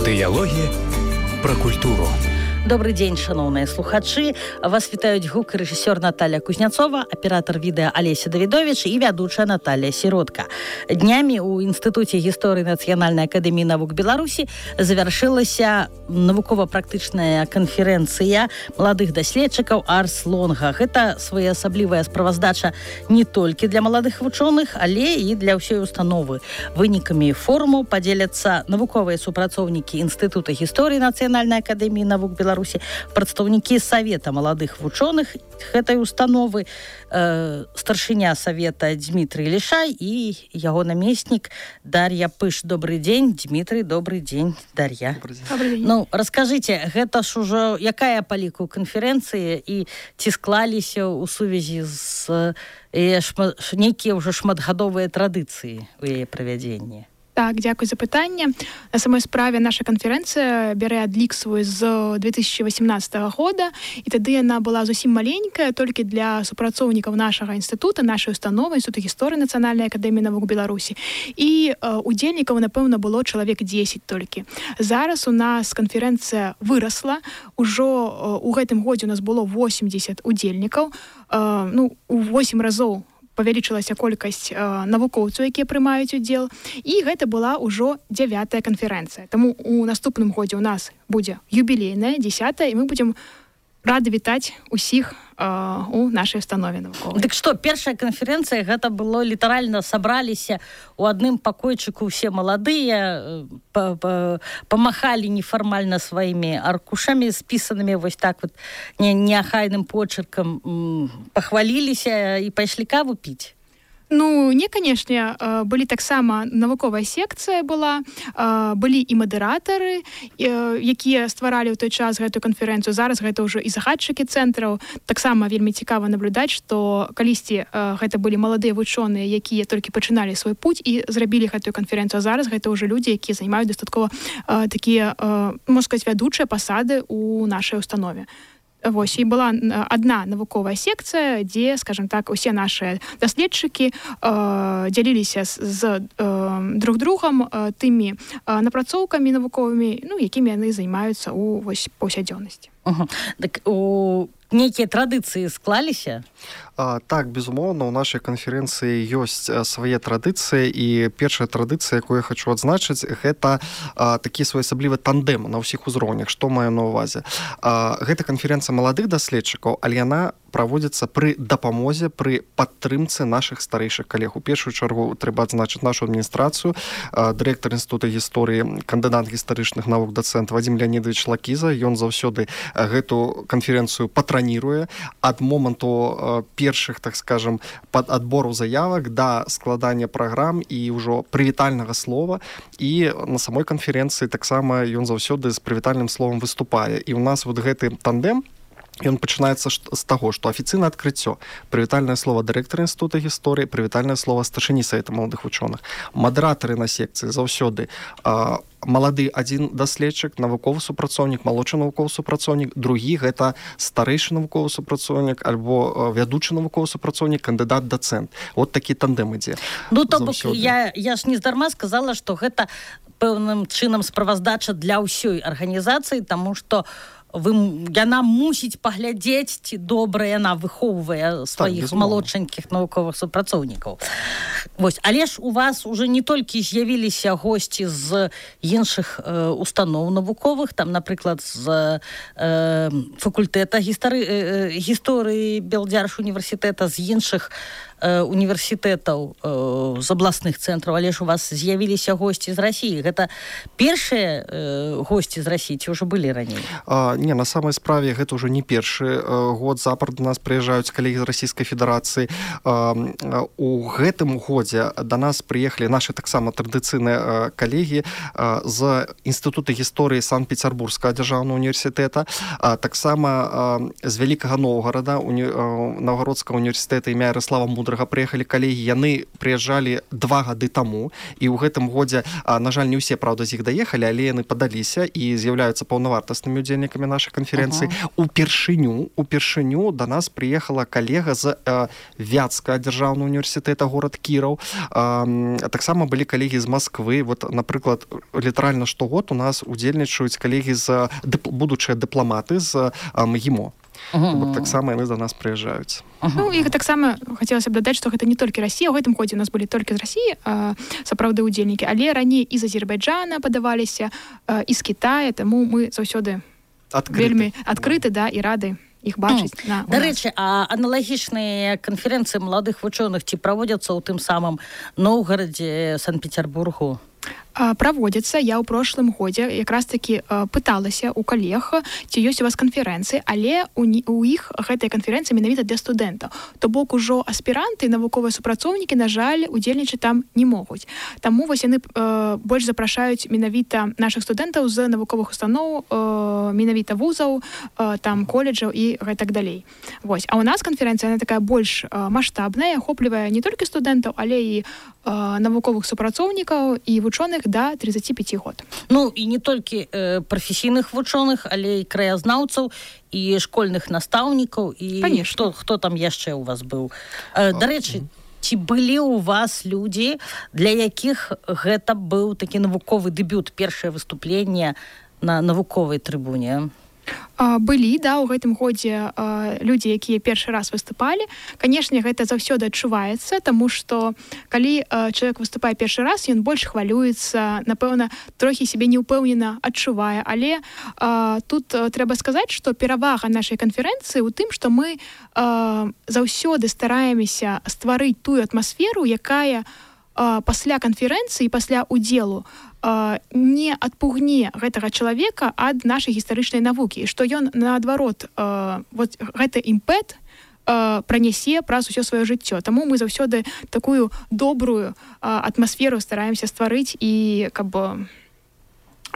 Дыялогі пра культуру. Добрый дзень, шановныя слухачы. Вас вітаюць гук рэжысёр Наталья Кузнецова, аператор відэа Алеся Давідович і вядучая Наталья Сіротка. Днямі ў Інстытуце гісторыі Нацыянальнай акадэміі навук Беларусі завяршылася навукова-практычная канферэнцыя маладых даследчыкаў Арс Лонга. Гэта своеасаблівая справаздача не толькі для маладых вучоных, але і для ўсёй установы. Вынікамі форуму падзеляцца навуковыя супрацоўнікі Інстытута гісторыі Нацыянальнай акадэміі навук Беларусі, прадстаўнікі Савета маладых вучоных гэтай установы, старшыня Савета Дмітрый Лішай і яго намеснік Дар'я Пыш. Добрый дзень, Дмітрый, добрый дзень, Дар'я. Ну, раскажыце, гэта ж ужо якая па ліку канферэнцыі і ці склаліся ў сувязі з нейкія ўжо шматгадовыя традыцыі у яе правядзенні? Так, дзякуй за пытанне. На самой справе наша канферэнцыя бярэ адлік свой з 2018 года, і тады яна была зусім маленькая, толькі для супрацоўнікаў нашага інстытута, нашай установы, Інстытуту гісторыі Нацыянальнай акадэміі навук Беларусі. І удзельнікаў, напэўна, было чалавек 10 толькі. Зараз у нас канферэнцыя вырасла. Ужо у гэтым годзе у нас было 80 удзельнікаў. У 8 разоў павялічылася колькасць навукоўцаў, якія прымаюць удзел, і гэта была ўжо 9-я канферэнцыя. Таму у наступным годзе ў нас будзе юбілейная, 10-я, і мы будзем рады вітаць усіх у нашай установе навуковай. Дык што, першая канферэнцыя, гэта было літаральна сабраліся ў адным пакойчыку ўсе маладыя, памахалі нефармальна сваімі аркушамі, спісанымі вось так вот неахайным почеркам, пахваліліся і пайшлі каву піць? Не, канешне, былі таксама навуковая секцыя была, былі і мадэратары, якія стваралі ў той час гэтую канферэнцыю. Зараз гэта ўжо і загадчыкі цэнтраў. Таксама вельмі цікава наблюдаць, што калісьці гэта былі маладыя вучоныя, якія толькі пачыналі свой путь і зрабілі гэтую канферэнцыю. А зараз гэта ўжо людзі, якія займаюць дастаткова такія, можна сказаць, вядучыя пасады ў нашай установе. Вось, і была адна навуковая секцыя, дзе, скажем так, усе нашыя даследчыкі дзяліліся з друг другом тымі напрацоўкамі навуковымі, якімі яны займаюцца ў паўсядзённасці. Так нейкія традыцыі склаліся? Так, безумоўна, у нашай канферэнцыі ёсць свае традыцыі, і першая традыцыя, якую я хочу адзначыць, гэта такі своеасаблівы тандем на ўсіх узроўнях. Што маю на ўвазе? Гэта канферэнцыя маладых даследчыкаў, але яна праводзіцца пры дапамозе, пры падтрымцы нашых старэйшых калег. У першую чаргу трэба адзначыць нашу адміністрацыю, дырэктар Інстытута гісторыі, кандыдат гістарычных навук, дацэнт Вадзім Леонідович Лакіза. Ён заўсёды гэту канферэнцыю патраніруе ад моманту першых, так скажем, адбору заявак да складання праграм і ўжо прывітальнага слова. І на самой канферэнцыі таксама ён заўсёды з прывітальным словам выступае. І ў нас вот гэты тандем, ён пачынаецца з таго, што афіцыйнае адкрыццё, прывітальнае слова дырэктара Інстытута гісторыі, прывітальнае слова старшыні Савета маладых вучоных. Мадэратары на секцыі заўсёды малады адзін даследчык, навуковы супрацоўнік, малодшы навуковы супрацоўнік, другі гэта старэйшы навуковы супрацоўнік альбо вядучы навуковы супрацоўнік, кандыдат дацэнт. Вот такі тандем ідзе. То бок, я ж не здарма сказала, што гэта пэўным чынам справаздача для ўсёй арганізацыі, таму што яна мусіць паглядзець, ці добра яна выхоўвае сваіх малодшанькіх навуковых супрацоўнікаў. Вось, але ж у вас уже не толькі з'явіліся госці з іншых устаноў навуковых, там, напрыклад, з факультэта гісторыі Белдзярж універсітэта, з іншых універсітэтаў, з абласных цэнтраў, але ж у вас з'явіліся госці з Расіі. Гэта першыя госці з Расіі, ці ўжо былі раней? Не, на самой справе гэта ўжо не першы год запар до нас прыязджаюць калегі з Расійскай Федэрацыі. У гэтым годзе да нас прыехалі нашы таксама традыцыйныя калегі з Інстытута гісторыі Санкт-Петербургскага дзяржаўнага універсітэта, таксама з Вялікага Новгарада, Новгародскага універсітэта імя Ярослава Мудрага, вострага прыехалі калегі, яны прыязджалі 2 гады таму, і ў гэтым годзе, на жаль, не ўсе, правда, з іх даехалі, але яны падаліся і з'яўляюцца паўнавартаснымі удзельнікамі нашай канферэнцыі. Упершыню да нас прыехала калега з Вятскага дзяржаўнага універсітэта, горад Кіраў. Таксама былі калегі з Масквы. Вот, напрыклад, літаральна штогод у нас удзельнічаюць калегі з будучыя дыпламаты з МГИМО. Таксама яны да нас прыязджаюць. Ну, і таксама хацелася б дадаць, што гэта не толькі Расія. У гэтым годзе у нас былі толькі з Расіі сапраўды удзельнікі, але раней і з Азербайджана падаваліся, і з Кітая, таму мы заўсёды вельмі адкрыты, да, і рады іх бачыць. Дарэчы, а аналагічныя канферэнцыі маладых вучоных ці праводзяцца ў тым самым Новгарадзе, Санкт-Петербургу? Праводзяцца. Я ў прошлым годзе якраз такі пыталася ў калег, ці ёсць у вас канферэнцыі, але у іх гэтыя канферэнцыі менавіта для студэнтаў. То бок ужо аспіранты і навуковыя супрацоўнікі, на жаль, удзельнічаць там не могуць. Таму вось яны больш запрашаюць менавіта нашых студэнтаў з навуковых устаноў, менавіта вузаў, там коледжаў і гэтак далей. Вось. А ў нас канферэнцыя, яна такая больш маштабная, ахоплівае не толькі студэнтаў, але і навуковых супрацоўнікаў і вучоных да 35 год. Ну, і не толькі прафесійных вучоных, але і краязнаўцаў, і школьных настаўнікаў, і хто там яшчэ ў вас быў. Дарэчы, ці былі ў вас людзі, для якіх гэта быў такі навуковы дэбют, першае выступленне на навуковай трыбуне? Былі, да, у гэтым годзе людзі, якія першы раз выступалі. Канешне, гэта заўсёды адчуваецца, таму што калі чалавек выступае першы раз, ён больш хвалюецца, напэўна, трохі сябе неўпэўнена адчувае. Але тут трэба сказаць, што перавага нашай канферэнцыі ў тым, што мы заўсёды стараемся стварыць тую атмасферу, якая пасля канферэнцыі, пасля удзелу не адпугне гэтага чалавека ад нашай гістарычнай навукі, што ён, наадварот, вот гэты імпэт пранясе праз усё сваё жыццё. Таму мы заўсёды такую добрую атмасферу стараемся стварыць і каб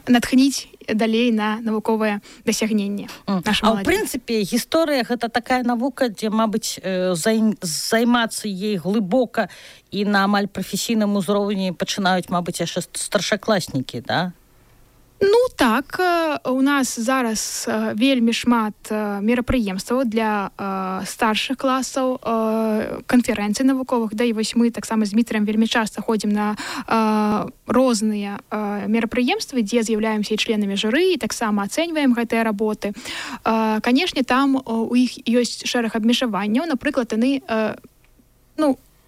натхніць далей на навуковае дасягненне. А ў прынцыпе, гісторыя гэта такая навука, дзе, мабыць, займацца ей глыбока і на амаль прафесійным узроўні пачынаюць, мабыць, яшчэ старшакласнікі, да? Ну так, у нас зараз вельмі шмат мерапрыемстваў для старшых класаў, канферэнцый навуковых, да і вось мы таксама з Дмітрыем вельмі часта ходзім на розныя мерапрыемствы, дзе з'яўляемся і членамі журы, і таксама ацэньваем гэтыя работы. Канешне, там у іх ёсць шэраг абмежаванняў, напрыклад, яны,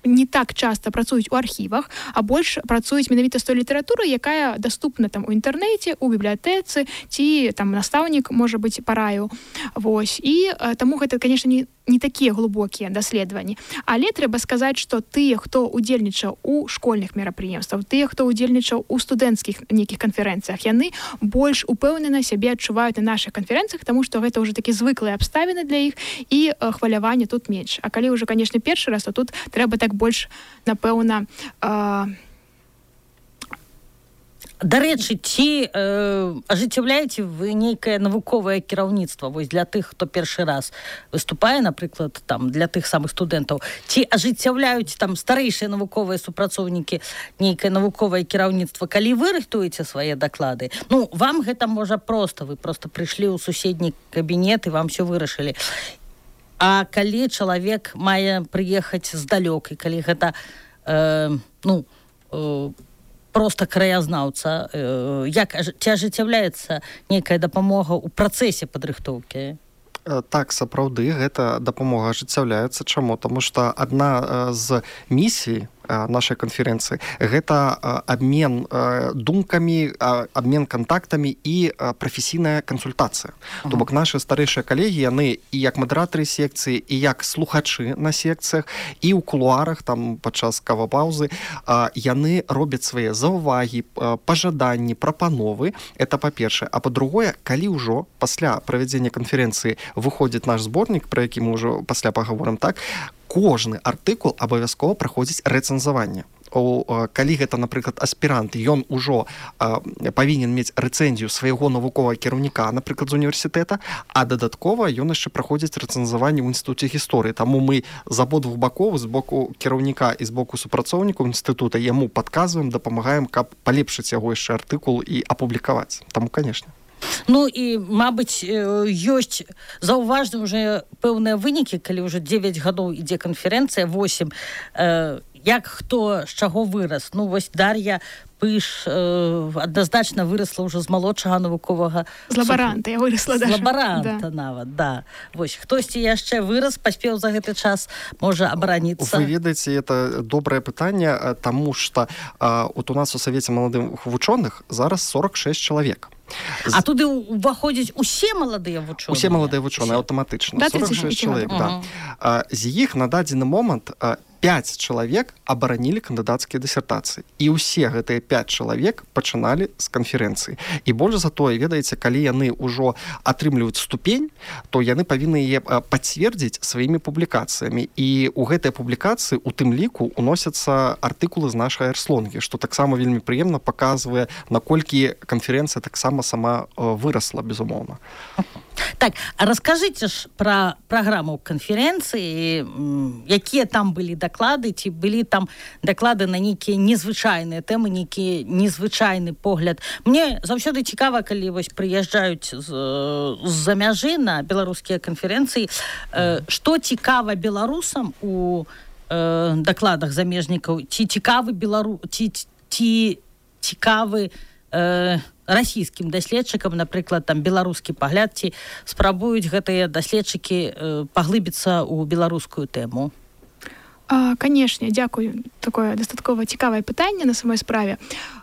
не так часта працуюць у архівах, а больш працуюць менавіта з той літаратурай, якая даступна там у інтэрнэце, у бібліятэцы, ці там настаўнік, можа быць, параіў. Вось. І таму гэта, канешне, не такія глыбокія даследаванні. Але трэба сказаць, што тыя, хто удзельнічаў у школьных мерапрыемствах, тыя, хто удзельнічаў у студэнцкіх нейкіх канферэнцыях, яны больш упэўнена сябе адчуваюць на нашых канферэнцыях, таму што гэта ўжо такі звыклыя абставіны для іх, і хваляванне тут менш. А калі ўжо, канешне, першы раз, то тут трэба так больш, напэўна, Дарэчы, ці ажыццяўляеце вы нейкае навуковае кіраўніцтва вось для тых, хто першы раз выступае, напрыклад, там для тых самых студэнтаў, ці ажыццяўляюць там старэйшыя навуковыя супрацоўнікі нейкае навуковае кіраўніцтва, калі вы рыхтуеце свае даклады? Ну, вам гэта можа проста, вы проста прыйшлі ў суседні кабінет і вам все вырашылі. А калі чалавек мае прыехаць здалёк, і калі гэта проста краязнаўца, як ці ажыццяўляецца нейкая дапамога ў працэсе падрыхтоўкі? Так, сапраўды, гэта дапамога ажыццяўляецца. Чаму? Таму што адна з місій нашай канферэнцыі гэта абмен думкамі, абмен кантактамі і прафесійная кансультацыя. То бок нашы старэйшыя калегі, яны і як мадэратары секцыі, і як слухачы на секцыях, і ў кулуарах, там падчас кавапаўзы, яны робяць свае заўвагі, пажаданні, прапановы. Это па-першае. А па-другое, калі ўжо пасля правядзення канферэнцыі выходзіць наш зборнік, пра які мы ўжо пасля паговорым, так, кожны артыкул абавязкова праходзіць рэцэнзаванне. калі гэта, напрыклад, аспірант, ён ужо павінен мець рэцэнзію свайго навуковага кіраўніка, напрыклад, з універсітэта, а дадаткова ён яшчэ праходзіць рэцэнзаванне ў інстытуце гісторыі. Таму мы з абодвух бакоў, з боку кіраўніка і з боку супрацоўнікаў інстытута яму падказваем, дапамагаем, каб палепшыць яго яшчэ артыкул і апублікаваць. Таму, канешне. Ну і, мабыць, ёсць заўважны ўжо пэўныя вынікі, калі ўжо 9 гадоў ідзе канферэнцыя, 8. Як хто з чаго вырас? Ну, вось Дар'я Пыш адназначна вырасла ўжо з малодшага навуковага... З лабаранта я вырасла. З лабаранта нават, да. Вось, хтосьці яшчэ вырас, паспеў за гэты час, можа абараніцца. Вы ведаеце, это добрае пытанне, таму што у нас у Савеце маладых вучоных зараз 46 чалавек. А туды ўваходзяць усе маладыя вучоныя? Усе маладыя вучоныя, аўтаматычна. 46 чалавек, да. З іх на дадзены момант 5 чалавек абаранілі кандыдацкія дысертацыі. І ўсе гэтыя 5 чалавек пачыналі з канферэнцыі. І больш за тое, ведаеце, калі яны ўжо атрымліваюць ступень, то яны павінны яе пацвердзіць сваімі публікацыямі. І ў гэтай публікацыі у тым ліку уносяцца артыкулы з нашай эрслонгі, што таксама вельмі прыемна паказвае, наколькі канферэнцыя таксама сама вырасла, безумоўна. Так, а раскажыце ж пра праграму канферэнцыі, якія там былі даклады, ці былі там даклады на нейкія незвычайныя тэмы, нейкі незвычайны погляд. Мне заўсёды цікава, калі вось прыязджаюць з-за мяжы на беларускія канферэнцыі, што цікава беларусам у дакладах замежнікаў, ці цікавы расійскім даследчыкам, напрыклад, там беларускі пагляд, ці спрабуюць гэтыя даследчыкі паглыбіцца ў беларускую тэму? Канешне, дзякую. Такое дастаткова цікавае пытанне на самой справе.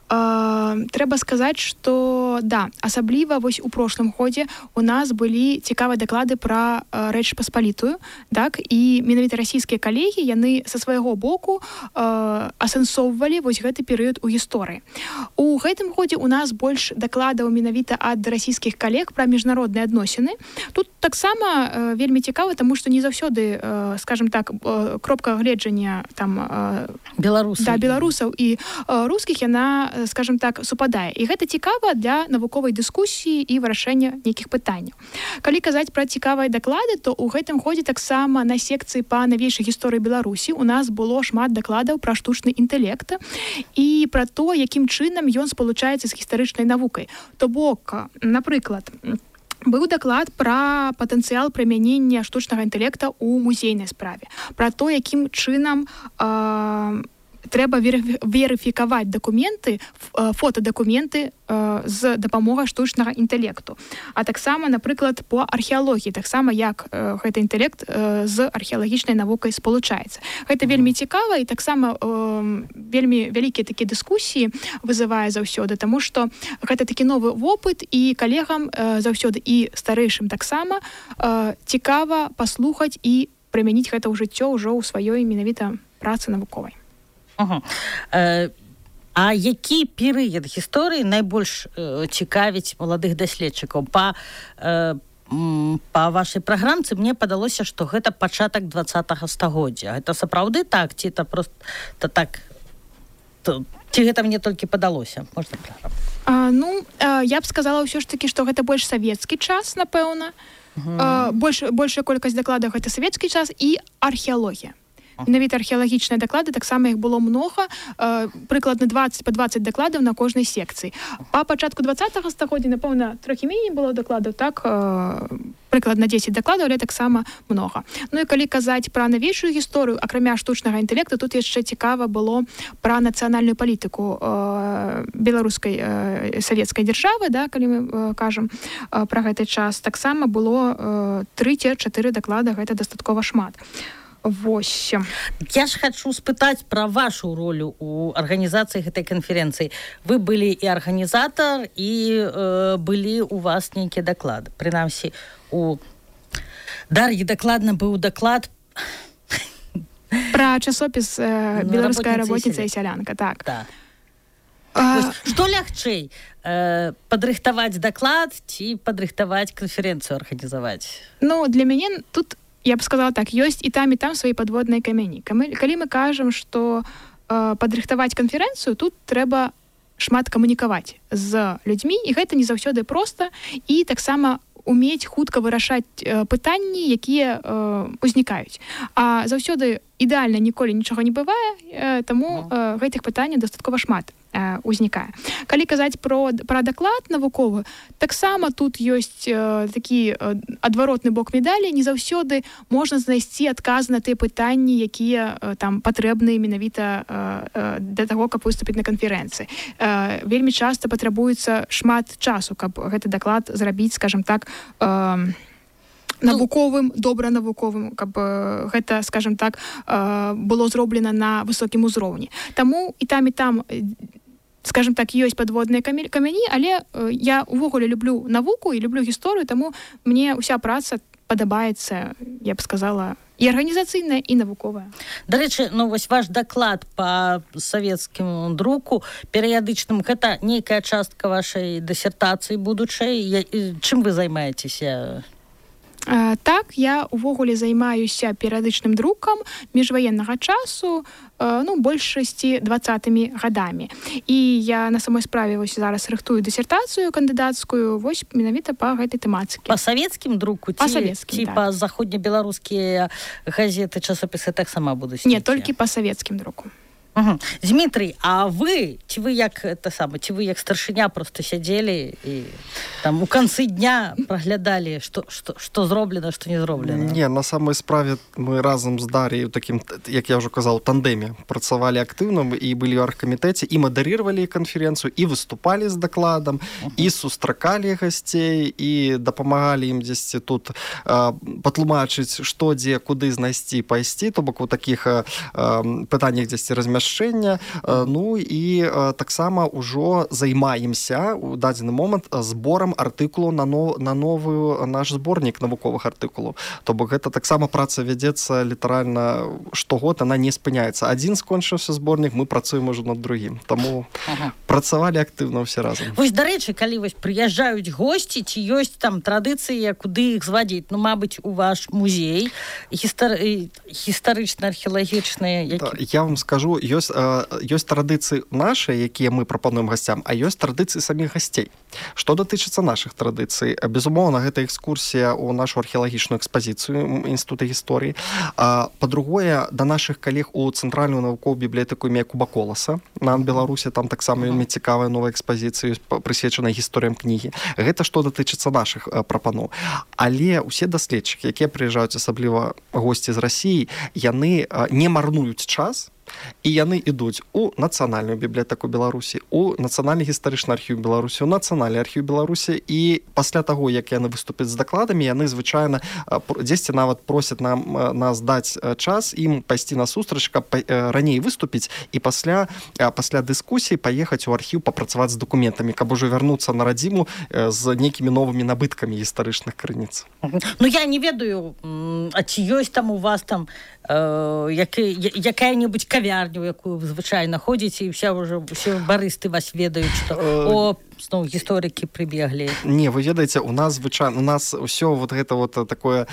Трэба сказаць, што да, асабліва вось у прошлым годзе у нас былі цікавыя даклады пра Рэч Паспалітую, так, і менавіта расійскія калегі, яны са свайго боку асэнсоўвалі вось гэты перыяд у гісторыі. У гэтым годзе у нас больш дакладаў менавіта ад расійскіх калег пра міжнародныя адносіны. Тут таксама вельмі цікава, таму што не заўсёды, скажем так, кропка гледжання там беларусаў і рускіх, яна, скажем так, супадае. І гэта цікава для навуковай дыскусіі і вырашэння нейкіх пытанняў. Калі казаць пра цікавыя даклады, то ў гэтым годзе таксама на секцыі па навейшай гісторыі Беларусі у нас было шмат дакладаў пра штучны інтэлект і пра то, якім чынам ён спалучаецца з гістарычнай навукай. То бок, напрыклад, быў даклад пра патэнцыял прымянення штучнага інтэлекта ў музейнай справе, пра то, якім чынам трэба верыфікаваць дакументы, фотадакументы з дапамогай штучнага інтэлекту. А таксама, напрыклад, по археалогіі, таксама як гэты інтэлект з археалагічнай навукай спалучаецца. Гэта вельмі цікава і таксама вельмі вялікія такія дыскусіі вызывае заўсёды, таму што гэта такі новы вопыт і калегам заўсёды і старэйшым таксама цікава паслухаць і прымяніць гэта ў жыццё ўжо ў сваёй менавіта працы навуковай. А які перыяд гісторыі найбольш цікавіць маладых даследчыкаў? Па вашай праграмцы мне падалося, што гэта пачатак 20-го стагоддзя. Гэта сапраўды так? Ці это просто так? Ці гэта мне толькі падалося? Можна праграму? Я б сказала ўсё ж такі, што гэта больш савецкі час, напэўна. Большая колькасць дакладаў гэта савецкі час і археалогія. Менавіта археалагічныя даклады, таксама іх было многа, прыкладна 20 дакладаў на кожнай секцыі. Па пачатку 20-го стагоддзя, напэўна, трохі меней было дакладаў, так, прыкладна 10 дакладаў, але таксама многа. Ну і калі казаць пра навейшую гісторыю, акрамя штучнага інтэлекту, тут яшчэ цікава было пра нацыянальную палітыку беларускай савецкай дзяржавы, да, калі мы кажам пра гэты час, таксама было 3-4 даклада, гэта дастаткова шмат. 8. Я ж хочу спытаць пра вашу ролю у арганізацыі гэтай канферэнцыі. Вы былі і арганізатар, і былі у вас нейкія даклады. Прынамсі, у Дар'і дакладна быў даклад пра часопіс «Беларуская работніца і сялянка». Так. Што лягчэй? Падрыхтаваць даклад ці падрыхтаваць канферэнцыю арганізаваць? Ну, для мяне тут, я б сказала так, ёсць і там свае падводныя камяні. Калі мы кажам, што падрыхтаваць канферэнцыю, тут трэба шмат камунікаваць з людзьмі, і гэта не заўсёды проста, і таксама умець хутка вырашаць пытанні, якія узнікаюць. А заўсёды ідэальна ніколі нічога не бывае, таму гэтых пытанняў дастаткова шмат узнікае. Калі казаць пра даклад навуковы, таксама тут ёсць такі адваротны бок медалі, не заўсёды можна знайсці адказ на тыя пытанні, якія там патрэбныя менавіта для таго, каб выступіць на канферэнцыі. Вельмі часта патрабуецца шмат часу, каб гэты даклад зрабіць, скажем так, навуковым, добра навуковым, каб гэта, скажем так, было зроблена на высокім узроўні. Таму і там, скажем так, ёсць падводныя камяні, але я увогуле люблю навуку і люблю гісторыю, таму мне ўся праца падабаецца, я б сказала, і арганізацыйная, і навуковая. Дарэчы, вось ваш даклад па савецкім друку перыядычным, гэта нейкая частка вашай дысертацыі будучай. Чым вы займаецеся? Так, я увогуле займаюся перыядычным друкам міжваеннага часу, большасці 20-мі гадамі. І я на самой справе вось зараз рыхтую дысертацыю кандыдацкую вось менавіта па гэтай тэматыцы. Па савецкім друку? Па савецкім, так. Па заходнебеларускія газеты, часопісы таксама будуць? Не, толькі па савецкім друку. Угу. Дмітрый, а вы як старшыня просто сядзелі і там у канцы дня праглядалі, што зроблена, што не зроблена? Не, на самой справе мы разам з Дар'яй у такім, як я ўжо казаў, тандеме працавалі актыўна і былі ў аргкамітэце, і мадарировали канферэнцыю, і выступалі з дакладам, і сустракалі гасцей, і дапамагалі ім дзесьці тут патлумачыць, што, дзе, куды знайсці, пайсці, то бок у такіх пытаннях дзесьці размяшчэння. І таксама ўжо займаемся у дадзены момант зборам артыкулаў на новую наш зборнік навуковых артыкулаў. То бок гэта таксама праца вядзецца літаральна штогод, она не спыняецца. Адзін скончыўся зборнік, мы працуем ужо над другім. Таму працавалі актыўна ўсе разам. Вось, дарэчы, калі прыязджаюць госці, ці ёсць там традыцыі, куды іх звадзіць? Мабыць, у ваш музей гістарычна-археалагічны. Я вам скажу, ёсць традыцыі нашы, якія мы прапануем гасцям, а ёсць традыцыі саміх гасцей. Што датычыцца нашых традыцый? Безумоўна, гэта экскурсія ў нашу археалагічную экспазіцыю Інстытута гісторыі. Па-другое, да нашых калег у Цэнтральную навуковую бібліятэку імя Якуба Коласа. На Беларусі там таксама вельмі цікавая новая экспазіцыя, прысвечаная гісторыям кнігі. Гэта што датычыцца нашых прапаноў. Але ўсе даследчыкі, якія прыязджаюць, асабліва госці з Расіі, яны не марнуюць час, і яны ідуць у Нацыянальную бібліятэку Беларусі, у Нацыянальны гістарычны архіў Беларусі, у Нацыянальны архіў Беларусі, і пасля таго, як яны выступяць з дакладамі, яны звычайна дзесьці нават просяць нас даць час ім пайсці на сустрач, каб раней выступіць і пасля дыскусіі паехаць у архіў папрацаваць з дакументамі, каб ужо вярнуцца на радзіму з нейкімі новымі набыткамі гістарычных крыніц. Я не ведаю, а ці ёсць там у вас там якая-небудзь кавярню, якую вы звычайна ходзіце, і ўсе барысты вас ведаюць, што зноў гісторыкі прыбеглі. Не, вы ведаеце, у нас ўсё гэта такое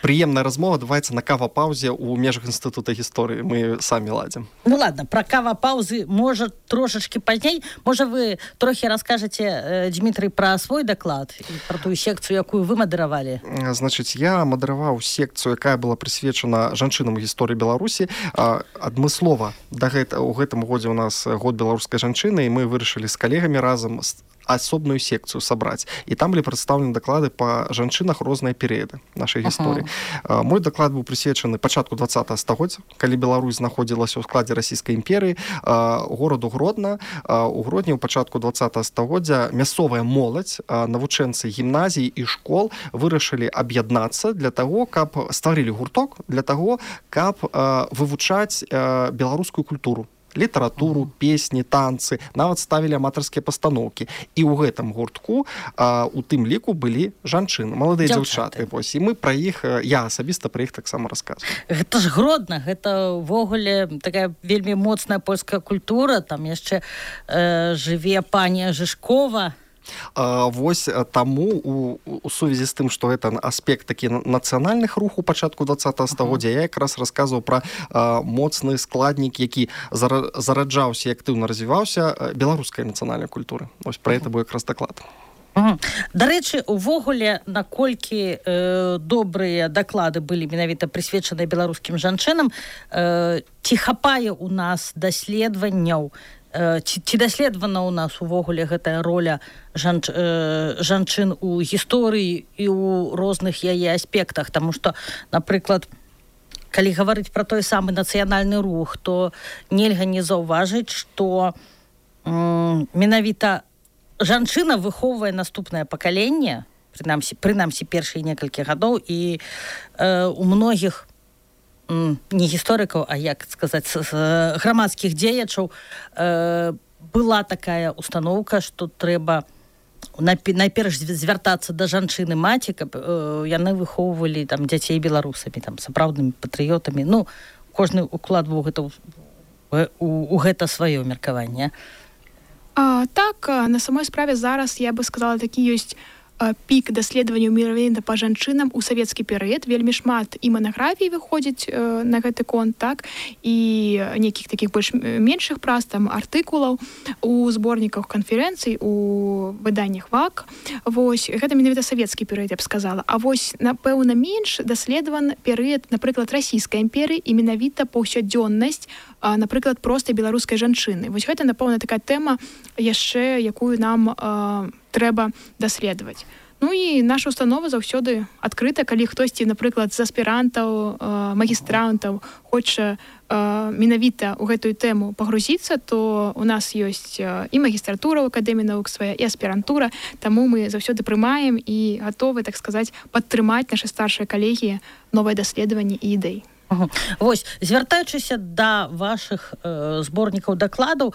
прыемная размова адбываецца на кава-паўзе ў межах Інстытута гісторыі. Мы самі ладзім. Ладно, пра кава-паўзы, можа, трошачкі пазней. Можа, вы трохі раскажаце, Дмітрый, пра свой даклад і пра тую секцыю, якую вы мадэравалі? Значыць, я мадэраваў секцыю, якая была прысвечана жанчынам у гісторыі Беларусі. Адмыслова у гэтым годзе у нас год беларускай жанчыны, і мы вырашылі з калегамі разам асобную секцыю сабраць. І там былі прадстаўлены даклады па жанчынах розныя перыяды нашай гісторыі. Мой даклад быў прысвечаны пачатку 20-го стагоддзя, калі Беларусь знаходзілася ў складзе расійскай імперыі, гораду Гродна. У Гродні ў пачатку 20-го стагоддзя мясцовая моладзь, навучэнцы гімназій і школ вырашылі аб'яднацца для таго, каб стварылі гурток, для таго, каб вывучаць беларускую культуру, літаратуру, песні, танцы, нават ставілі аматарскія пастаноўкі. І ў гэтым гуртку у тым ліку былі жанчыны, маладыя дзяўчаты. І мы пра іх, я асабіста пра іх таксама расказваю. Гэта ж Гродна, гэта ўвогуле такая вельмі моцная польская культура, там яшчэ жыве пані Жышкова. Вось таму у сувязі з тым, што гэта аспект такі нацыянальных рух у пачатку 20-го стагоддзя, я якраз расказваў пра моцны складнік, які зараджаўся і актыўна развіваўся беларускай нацыянальнай культуры. Вось пра гэта быў якраз даклад. Дарэчы, увогуле, наколькі добрыя даклады былі менавіта прысвечаныя беларускім жанчынам, ці хапае у нас даследаванняў, ці даследавана ў нас увогуле гэтая роля жанчын у гісторыі і ў розных яе аспектах, таму што, напрыклад, калі гаварыць пра той самы нацыянальны рух, то нельга не заўважыць, што менавіта жанчына выхоўвае наступнае пакаленне, прынамсі першыя некалькі гадоў, і у многіх не гісторыкаў, а як сказаць, грамадскіх дзеячаў была такая установка, што трэба найперш звяртацца да жанчыны маці, каб яны выхоўвалі там дзяцей беларусамі, там сапраўднымі патрыётамі. Ну, кожны укладваў гэта у гэта сваё меркаванне. Так, на самой справе зараз, я бы сказала, такі ёсць пік даследаванняў менавіта па жанчынам у савецкі перыяд. Вельмі шмат і манаграфій выходзіць на гэты конт, так, і нейкіх такіх больш меншых прац, там, артыкулаў у зборніках канферэнцый, у выданнях ВАК. Вось, гэта менавіта савецкі перыяд, я б сказала. А вось, напэўна, менш даследаван перыяд, напрыклад, расійскай імперыі і менавіта паўсядзённасць, напрыклад, простай беларускай жанчыны. Вось гэта, напэўна, такая тэма яшчэ, якую нам трэба даследаваць. Ну і наша установа заўсёды адкрыта, калі хтосьці, напрыклад, з аспірантаў, магістрантаў хоча менавіта ў гэтую тэму пагрузіцца, то у нас ёсць і магістратура ў Акадэміі навук свая, і аспірантура, таму мы заўсёды прымаем і гатовы, так сказаць, падтрымаць нашы старшыя калегі новыя даследаванні і ідэі. Вось, звяртаючыся да вашых зборнікаў дакладаў,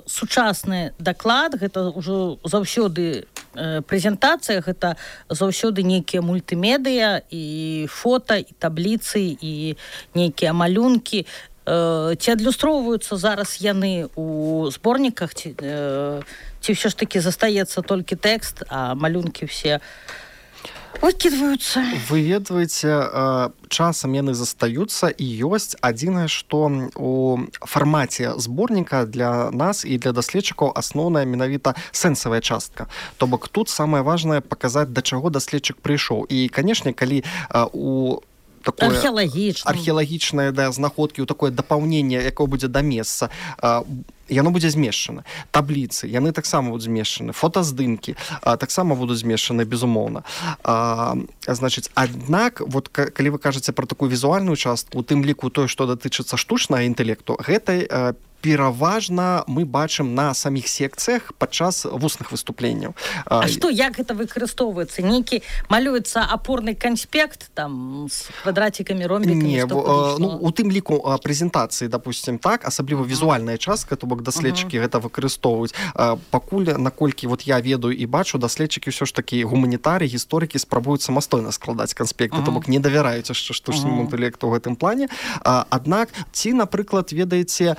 сучасны даклад, гэта ўжо заўсёды прэзентацыя, гэта заўсёды нейкія мультымедыя і фота, і табліцы, і нейкія малюнкі. Ці адлюстроўваюцца зараз яны ў зборніках, ці ўсё ж такі застаецца толькі тэкст, а малюнкі ўсе выкідваюцца? Вы ведаеце, часам яны застаюцца, і ёсць адзінае, што у фармаце зборніка для нас і для даследчыкаў асноўная менавіта сэнсавая частка. То бок тут самае важнае паказаць, да чаго даследчык прыйшоў. І, канешне, калі у археалагічнае знаходкі, у такое дапаўненне, якое будзе да месца, яно будзе змешчана. Табліцы, яны таксама будуць змешчаны. Фотаздымкі таксама будуць змешчаны, безумоўна. Значыць, аднак, вот, калі вы кажаце пра такую візуальную частку, у тым ліку тое, што датычыцца штучнага інтэлекту, гэта пераважна мы бачым на саміх секцыях падчас вусных выступленняў. А што, як гэта выкарыстоўваецца? Нейкі малюецца апорны канспект там з квадратикамі, ромбікамі? Не, у тым ліку прэзентацыі, допустим, так, асабліва візуальная частка, то бок даследчыкі гэта выкарыстоўваюць. Пакуль, наколькі вот я ведаю і бачу, даследчыкі ўсё ж такі гуманітарыі, гісторыкі спрабуюць самастойна складаць канспекты, то бок не давяраюць яшчэ штучнаму інтэлекту ў гэтым плане. Аднак, ці, напрыклад, ведаеце,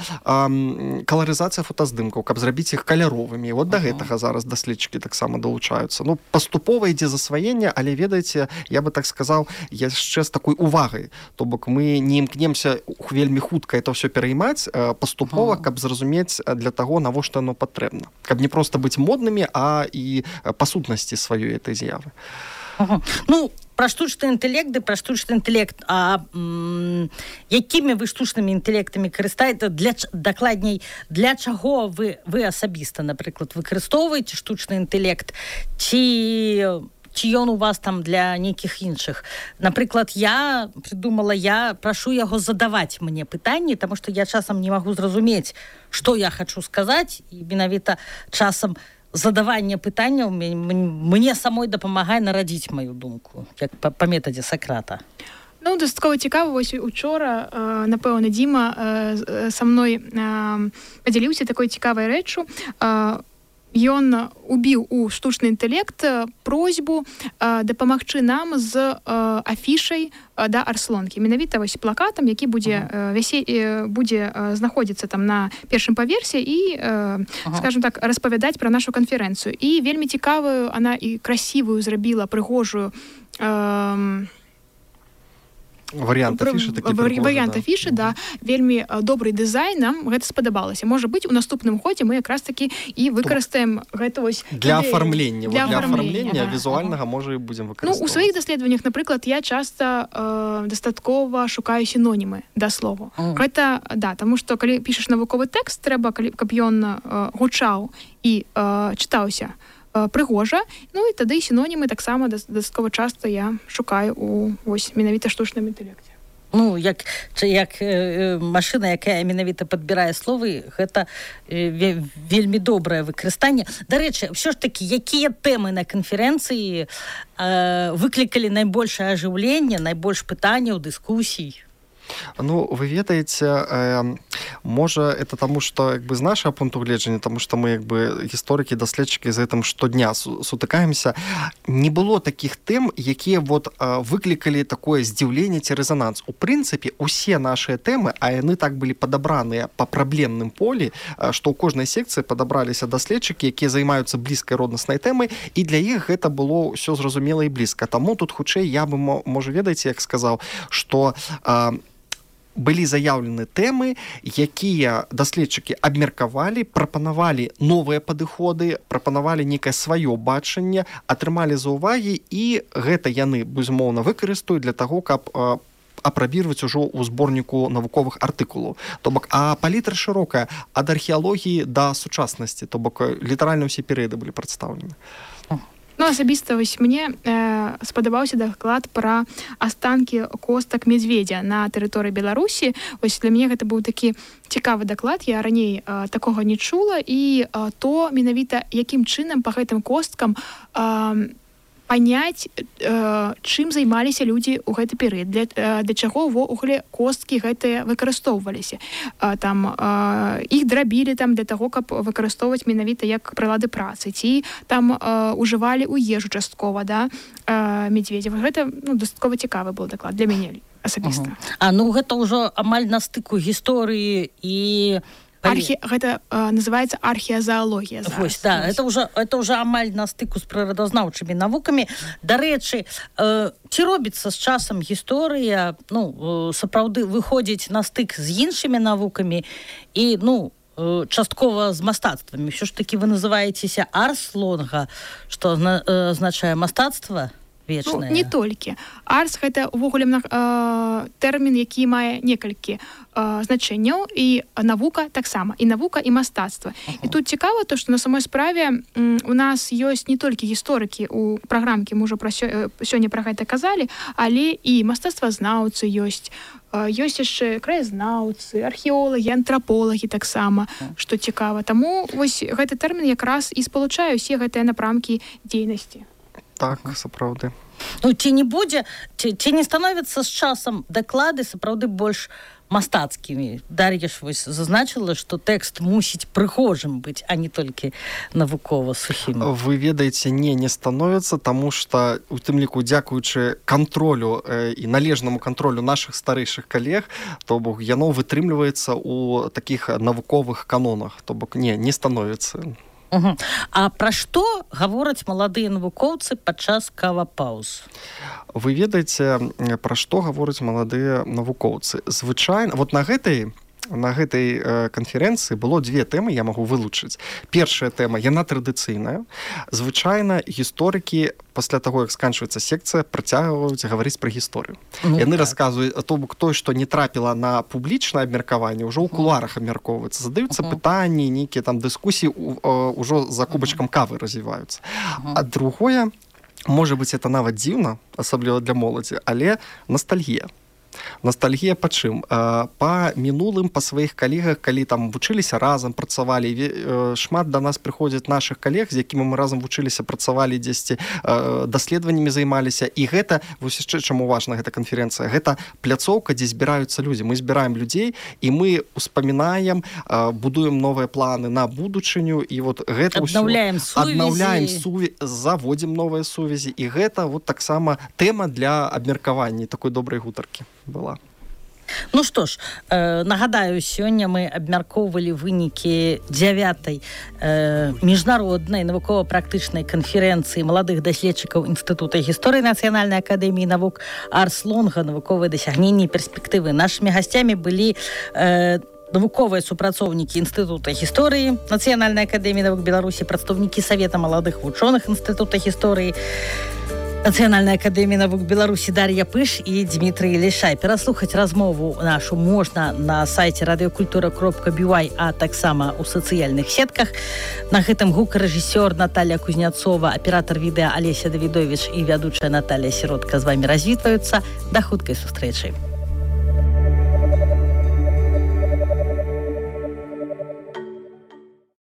каларызацыя фотаздымкаў, каб зрабіць іх каляровымі. Вот да гэтага зараз даследчыкі таксама далучаюцца. Ну, паступова ідзе засваенне, але, ведаеце, я бы так сказаў, яшчэ з такой увагай. То бок мы не імкнемся вельмі хутка это ўсё пераймаць, паступова, каб зразумець для таго, навошта оно патрэбна. Каб не проста быць моднымі, а і па сутнасці сваёй этой з'явы. Ну, пра штучны інтэлект, а якімі вы штучнымі інтэлектамі карыстаеце, дакладней, для чаго вы асабіста, напрыклад, выкарыстоўваеце штучны інтэлект, ці ён у вас там для нейкіх іншых? Напрыклад, я придумала, я прашу яго задаваць мне пытанні, таму што я часам не магу зразумець, што я хачу сказаць, і менавіта часам задаванне пытанняў мне самой дапамагае нарадзіць маю думку, як па метадзе Сакрата. Ну, дастаткова цікава, вось учора, напэўна, Дзіма са мной падзяліўся такой цікавай рэччу. ён убіў у штучны інтэлект просьбу дапамагчы нам з афішай да Арслонкі. Менавіта вось плакатам, які будзе знаходзіцца там на першым паверсе і, скажем так, распавядаць пра нашу канферэнцыю. І вельмі цікавую, она і красивую зрабіла, прыгожую варыянт афішы, варыянт афішы, да, вельмі добрый дызайн, нам гэта спадабалася. Можа быць, у наступным годзе мы якраз такі і выкарыстаем гэта вось для афармлення. Для афармлення візуальнага можа і будзем выкарыстоўваць. Ну, у сваіх даследаваннях, напрыклад, я часта дастаткова шукаю сінонімы да слову. Гэта, да, таму што калі пішаш навуковы тэкст, трэба, каб ён гучаў і чытаўся прыгожа, ну і тады сінонімы таксама дастаткова часта я шукаю у вось менавіта штучным інтэлекце. Ну, як машына, якая менавіта падбірае словы, гэта вельмі добрае выкарыстанне. Дарэчы, ўсё ж такі, якія тэмы на канферэнцыі выклікалі найбольшае ажыўленне, найбольш пытанняў, дыскусій? Ну, вы ведаеце, можа, это таму, што з нашага пункту гледжання, таму што мы гісторыкі, даследчыкі з гэтым штодня сутыкаемся, не было такіх тэм, якія выклікалі такое здзіўленне ці рэзананс. У прынцыпе, усе нашыя тэмы, а яны так былі падабраныя па праблемным полі, што ў кожнай секцыі падабраліся даследчыкі, якія займаюцца блізкай роднаснай тэмай, і для іх гэта было ўсё зразумела і блізка. Таму тут хутчэй я бы, можа, ведаеце, як сказаў, што былі заяўлены тэмы, якія даследчыкі абмеркавалі, прапанавалі новыя падыходы, прапанавалі некае сваё бачанне, атрымалі заўвагі, і гэта яны, безумоўна, выкарыстаюць для таго, каб апрабіраваць ужо ў зборніку навуковых артыкулаў. То бок, а палітра шырокая ад археалогіі да сучаснасці, то бок літаральна ўсе перыяды былі прадстаўлены. Ну, асабіста вось мне спадабаўся даклад пра астанкі костак медведя на тэрыторыі Беларусі. Вось для мяне гэта быў такі цікавы даклад, я раней такога не чула, і то менавіта якім чынам па гэтым косткам паняць, чым займаліся людзі ў гэты перыяд, для чаго ўвогуле косткі гэтыя выкарыстоўваліся. Там іх драбілі там для таго, каб выкарыстоўваць менавіта як прылады працы, ці там ужывалі ў ежу часткова, да, медведзя. Гэта, ну, дастаткова цікавы быў даклад для мяне асабіста. Ну, гэта ўжо амаль на стыку гісторыі і гэта называецца археазаалогія зараз. Вось, да, это уже амаль на стыку з прыродазнаўчымі навукамі. Дарэчы, ці робіцца з часам гісторыя, ну, сапраўды выходзіць на стык з іншымі навукамі і, ну, часткова з мастацтвамі. Ўсё ж такі вы называецеся Арслонга, што азначае мастацтва вечнае. Ну, не толькі. Арс — гэта ўвогуле тэрмін, які мае некалькі значэнняў, і навука таксама, і навука, і мастацтва. І тут цікава то, што на самой справе у нас ёсць не толькі гісторыкі у праграмкі, мы ўжо сёння пра гэта казалі, але і мастацтвазнаўцы ёсць. Ёсць яшчэ краязнаўцы, археолагі, антраполагі таксама, што цікава. Таму вось гэты тэрмін якраз і спалучае ўсе гэтыя напрамкі дзейнасці. Так, сапраўды. Ну, ці не будзе, ці не становяцца з часам даклады сапраўды больш мастацкімі? Дар'я ж вось зазначыла, што тэкст мусіць прыгожым быць, а не толькі навукова сухім. Вы ведаеце, не становяцца, таму што у тым ліку, дзякуючы кантролю і належнаму кантролю нашых старэйшых калег, то бок яно вытрымліваецца ў такіх навуковых канонах, то бок не становіцца. А пра што гавораць маладыя навукоўцы падчас кавапаўз? Вы ведаеце, пра што гавораць маладыя навукоўцы? Звычайна, вот на гэтай канферэнцыі было две тэмы, я магу вылучыць. Першая тэма, яна традыцыйная. Звычайна гісторыкі пасля таго, як сканчваецца секцыя, працягваюць гаварыць пра гісторыю. Яны расказваюць, то бок той, што не трапіла на публічнае абмеркаванне, ўжо ў кулуарах абмяркоўваецца. Задаюцца пытанні, нейкія там дыскусіі ўжо за кубачкам кавы развіваюцца. А другое, можа быць, это нават дзіўна, асабліва для моладзі, але ностальгія. Ностальгія па чым? Па мінулым, па сваіх калегах, калі там вучыліся разам, працавалі. Шмат да нас прыходзяць нашых калег, з якімі мы разам вучыліся, працавалі дзесьці, даследаваннямі займаліся. І гэта, вось яшчэ чаму важна гэта канферэнцыя, гэта пляцоўка, дзе збіраюцца людзі. Мы збіраем людзей, і мы успамінаем, будуем новыя планы на будучыню, і вот гэта аднаўляем сувязі, заводзім новыя сувязі. І гэта вот таксама тэма для абмеркавання такой добрай гутаркі была. Ну што ж, нагадаю, сёння мы абмяркоўвалі вынікі 9-й міжнароднай навукова-практычнай канферэнцыі маладых даследчыкаў Інстытута гісторыі Нацыянальнай акадэміі навук Арс-Лонга «Навуковыя дасягненні і перспектывы». Нашымі гасцямі былі навуковыя супрацоўнікі Інстытута гісторыі Нацыянальнай акадэміі навук Беларусі, прадстаўнікі Савета маладых вучоных Інстытута гісторыі Нацыянальнай акадэміі навук Беларусі Дар'я Пыш і Дмітрый Лішай. Пераслухаць размову нашу можна на сайце radiokультура.by, а таксама ў сацыяльных сетках. На гэтым гукарэжысёр Наталья Кузняцова, аператар відэа Алеся Давідовіч і вядучая Наталья Сіротка з вамі развітваюцца. Да хуткай сустрэчы.